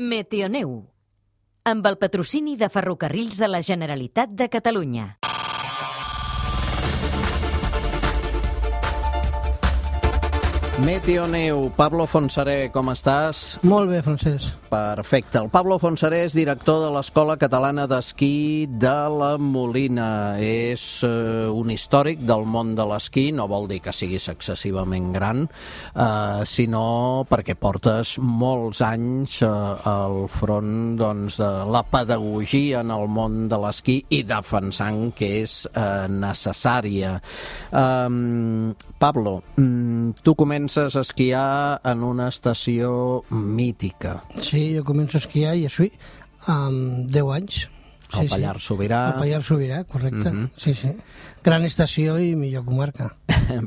Meteoneu, amb el patrocini de Ferrocarrils de la Generalitat de Catalunya. Meteoneu, Pablo Fontserè, com estàs? Molt bé, Francesc. Perfecte. El Pablo Fontserè és director de l'Escola Catalana d'Esquí de la Molina. És un històric del món de l'esquí, no vol dir que siguis excessivament gran, sinó perquè portes molts anys al front de la pedagogia en el món de l'esquí i defensant que és necessària. Pablo, tu comences a esquiar en una estació mítica. Sí, jo començo a esquiar i així amb 10 anys. El Pallars Sobirà. El Pallars Sobirà, correcte. Sí, sí. Gran estació i millor comarca.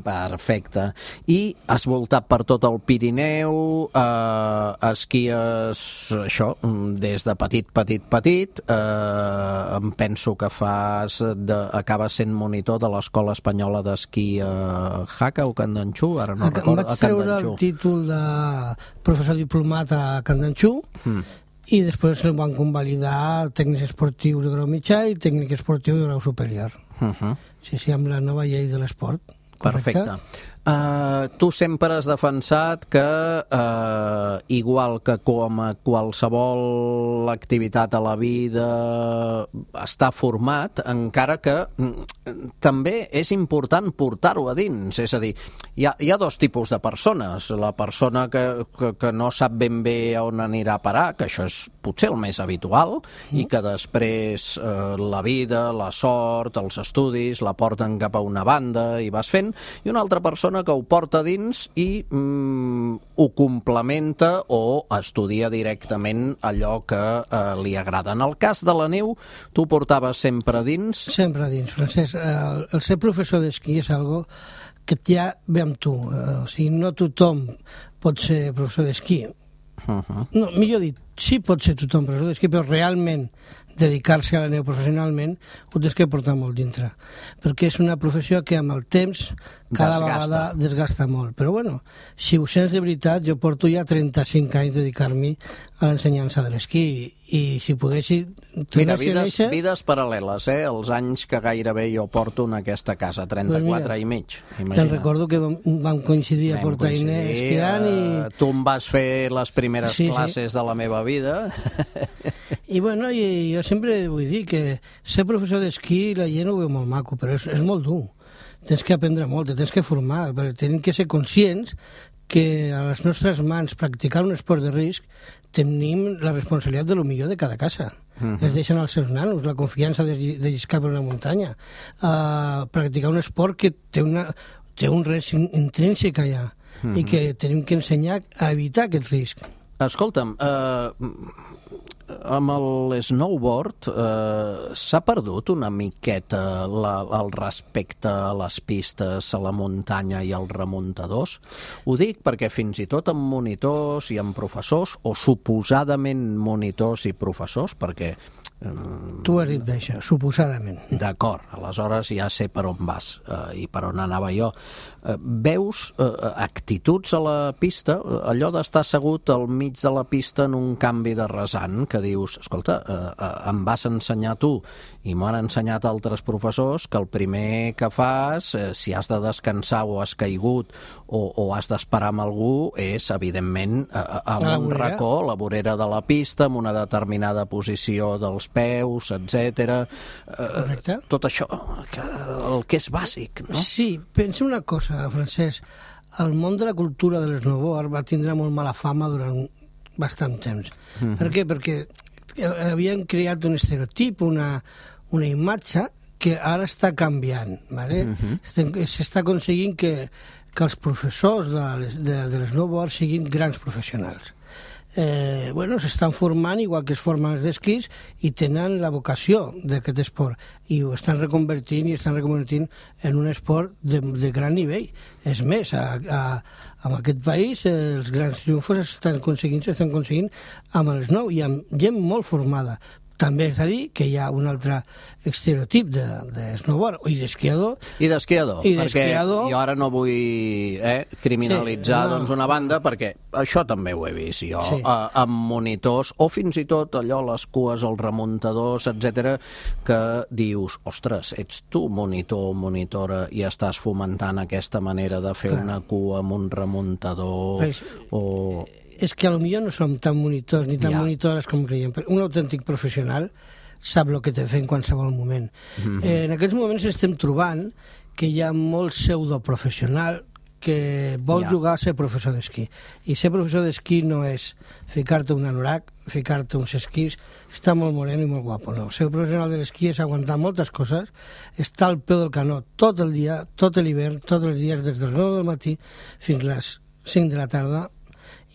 Perfecte. I has voltat per tot el Pirineu, esquies, això, des de petit. Em penso que acabes sent monitor de l'Escola Espanyola d'Esquí a Jaca o Candanxú, ara no recordo. Em vaig treure el títol de professor diplomat a Candanxú, i després el van convalidar tècnic esportiu de grau mitjà i tècnic esportiu de grau superior. Sí, amb la nova llei de l'esport. Perfecte. Tu sempre has defensat que, igual que com a qualsevol activitat a la vida està format, encara que també és important portar-ho a dins. És a dir, hi ha dos tipus de persones. La persona que no sap ben bé on anirà a parar, que això és potser el més habitual, i que després la vida, la sort, els estudis la porten cap a una banda i vas fent, i una altra persona que ho porta dins i ho complementa o estudia directament allò que li agrada. En el cas de la neu, tu portaves sempre dins? Sempre dins, Francesc. El ser professor d'esquí és algo que ja ve amb tu. O sigui, no tothom pot ser professor d'esquí. No, millor dit, sí pot ser tothom professor d'esquí, però realment dedicar-se a la neu professionalment ho tens que portar molt dintre, perquè és una professió que amb el temps cada vegada desgasta molt. Però bueno, si ho sents de veritat, jo porto ja 35 anys dedicar-me a l'ensenyança de l'esquí i si poguessi... Mira, vides paral·leles, els anys que gairebé jo porto en aquesta casa, 34 i mig. Te'n recordo que vam coincidir a Portainer esquiant i... Tu em vas fer les primeres classes de la meva vida. I bueno, jo sempre vull dir que ser professor d'esquí la gent ho veu molt maco, però és molt dur. Tens que aprendre molt, tens que formar, perquè tenim que ser conscients que a les nostres mans practicar un esport de risc tenim la responsabilitat de lo millor de cada casa. Es deixen als seus nanos la confiança de lliscar per una muntanya. Practicar un esport que té un risc intrínsec allà i que tenim que ensenyar a evitar aquest risc. Escolta'm, amb el snowboard s'ha perdut una miqueta el respecte a les pistes, a la muntanya i als remuntadors? Ho dic perquè fins i tot amb monitors i amb professors, o suposadament monitors i professors, perquè... Tu has dit bé això, suposadament. D'acord, aleshores ja sé per on vas i per on anava jo. Veus actituds a la pista, allò d'estar assegut al mig de la pista en un canvi de rasant, que dius, escolta, em vas ensenyar tu i m'ho han ensenyat altres professors, que el primer que fas, si has de descansar o has caigut o has d'esperar amb algú, és, evidentment, amb un racó, la vorera de la pista, amb una determinada posició dels peus, etc. Tot això, el que és bàsic, no? Sí, pensa una cosa, Francesc. El món de la cultura de l'esnowboard va tindre molt mala fama durant bastant temps. Per què? Perquè havien creat un estereotip, una imatge que ara està canviant. S'està aconseguint que els professors de l'esnowboard siguin grans professionals. S'estan formant igual que es formen els d'esquís i tenen la vocació d'aquest esport i ho estan reconvertint en un esport de gran nivell. És més, en aquest país els grans triomfos s'estan aconseguint amb el snow i amb gent molt formada. també és a dir que hi ha un altre estereotip de snowboard i d'esquiador. I d'esquiador, perquè jo ara no vull criminalitzar doncs una banda, perquè això també ho he vist jo, amb monitors, o fins i tot allò, les cues, els remuntadors, etc, que dius, ostres, ets tu monitor o monitora i estàs fomentant aquesta manera de fer una cua amb un remuntador o... És que potser no som tan monitors ni tan monitores com creiem. Un autèntic professional sap el que té fer en qualsevol moment. En aquests moments estem trobant que hi ha molt pseudoprofessional que vol jugar a ser professor d'esquí. I ser professor d'esquí no és ficar-te un anorac, ficar-te uns esquís, està molt moreno i molt guapo. No. Ser professional de l'esquí és aguantar moltes coses, estar al peu del canó tot el dia, tot l'hivern, tots els dies, des dels 9 del matí fins a les 5 de la tarda,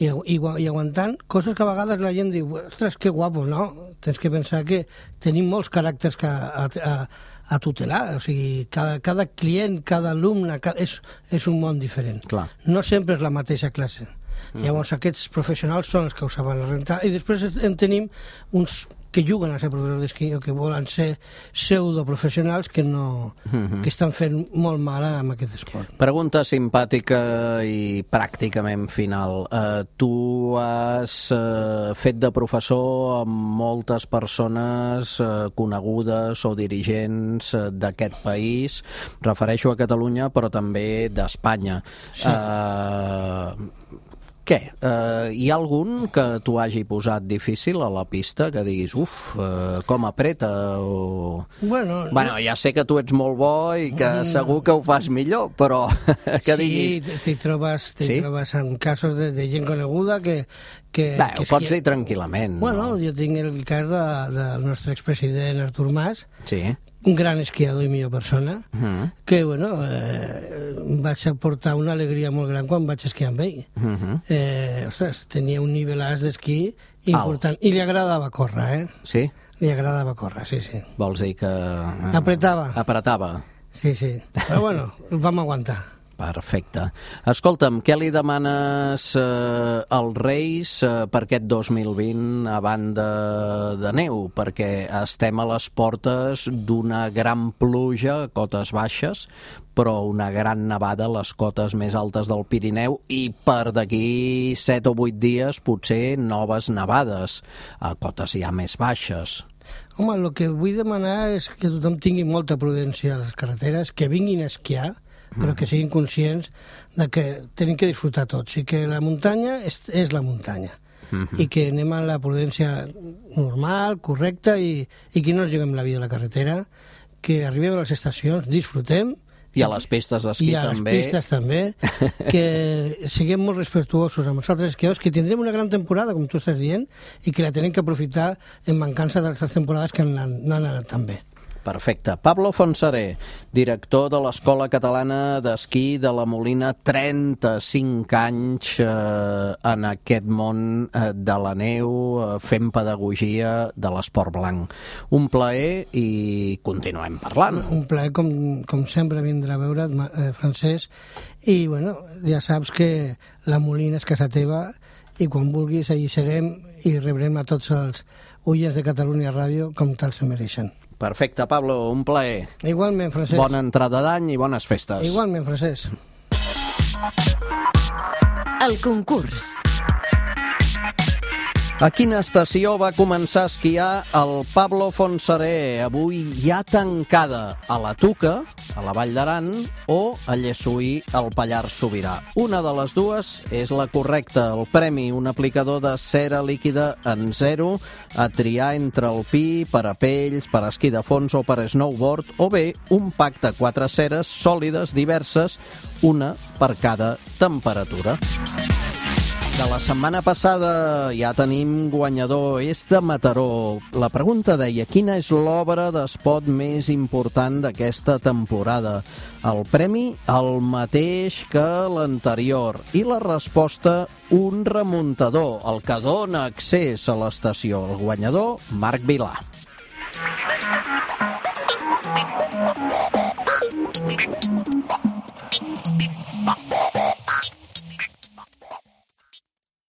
i aguantant coses que a vegades la gent diu, ostres, que guapo, no? Tens que pensar que tenim molts caràcters a tutelar, o sigui, cada client, cada alumne, és un món diferent. Clar. No sempre és la mateixa classe. Llavors aquests professionals són els que ho saben rentar, i després en tenim uns que juguen a ser professors d'esquí o que volen ser pseudoprofessionals que estan fent molt mal amb aquest esport. Pregunta simpàtica i pràcticament final. Tu has fet de professor amb moltes persones conegudes o dirigents d'aquest país, refereixo a Catalunya, però també d'Espanya. Sí. Què? Hi ha algun que t'ho hagi posat difícil a la pista, que diguis, com apreta? Bueno, ja sé que tu ets molt bo i que segur que ho fas millor, però que diguis... Sí, t'hi trobes en casos de gent coneguda que ho pots dir tranquil·lament. Bueno, jo tinc el cas del nostre expresident Artur Mas, sí, un gran esquiador i millor persona, que, bueno, vaig aportar una alegria molt gran quan vaig esquiar amb ell. Ostres, tenia un nivelàs d'esquí important. I li agradava córrer, Sí? Li agradava córrer, sí. Vols dir que... Apretava. Sí. Però, bueno, el vam aguantar. Perfecte. Escolta'm, què li demanes als Reis per aquest 2020 a banda de neu? Perquè estem a les portes d'una gran pluja a cotes baixes, però una gran nevada a les cotes més altes del Pirineu i per d'aquí 7 o 8 dies potser noves nevades a cotes ja més baixes. Home, el que vull demanar és que tothom tingui molta prudència a les carreteres, que vinguin a esquiar, però que siguin conscients de que tenim que disfrutar tots i que la muntanya és la muntanya i que anem a la prudència normal, correcta i que no ens juguem la vida a la carretera, que arribem a les estacions, disfrutem i a les pistes d'esquí també. I a les pistes també, que siguem molt respectuosos amb els altres esquiadors, que tindrem una gran temporada, com tu estàs dient, i que la tenim que aprofitar en mancança de les temporades que no han anat tan bé. Perfecte. Pablo Fontserè, director de l'Escola Catalana d'Esquí de la Molina, 35 anys en aquest món de la neu, fent pedagogia de l'esport blanc. Un plaer i continuem parlant. Un plaer, com sempre, vindre a veure't, Francesc, i bueno, ja saps que la Molina és casa teva i quan vulguis allí serem i rebrem a tots els oients de Catalunya Ràdio com tal se mereixen. Perfecte, Pablo, un plaer. Igualment, Francesc. Bona entrada d'any i bones festes. Igualment, Francesc. El concurs. A quina estació va començar a esquiar el Pablo Fontserè, avui ja tancada? A la Tuca, a la Vall d'Aran, o a Llessui, al Pallars Sobirà? Una de les dues és la correcta. El premi, un aplicador de cera líquida en zero, a triar entre alpí, parapells, per esquí de fons o per snowboard, o bé un pack de 4 ceres sòlides diverses, una per cada temperatura. De la setmana passada ja tenim guanyador, és de Mataró. La pregunta deia, quina és l'obra d'esport més important d'aquesta temporada? El premi, el mateix que l'anterior. I la resposta, un remuntador, el que dona accés a l'estació. El guanyador, Marc Vilà.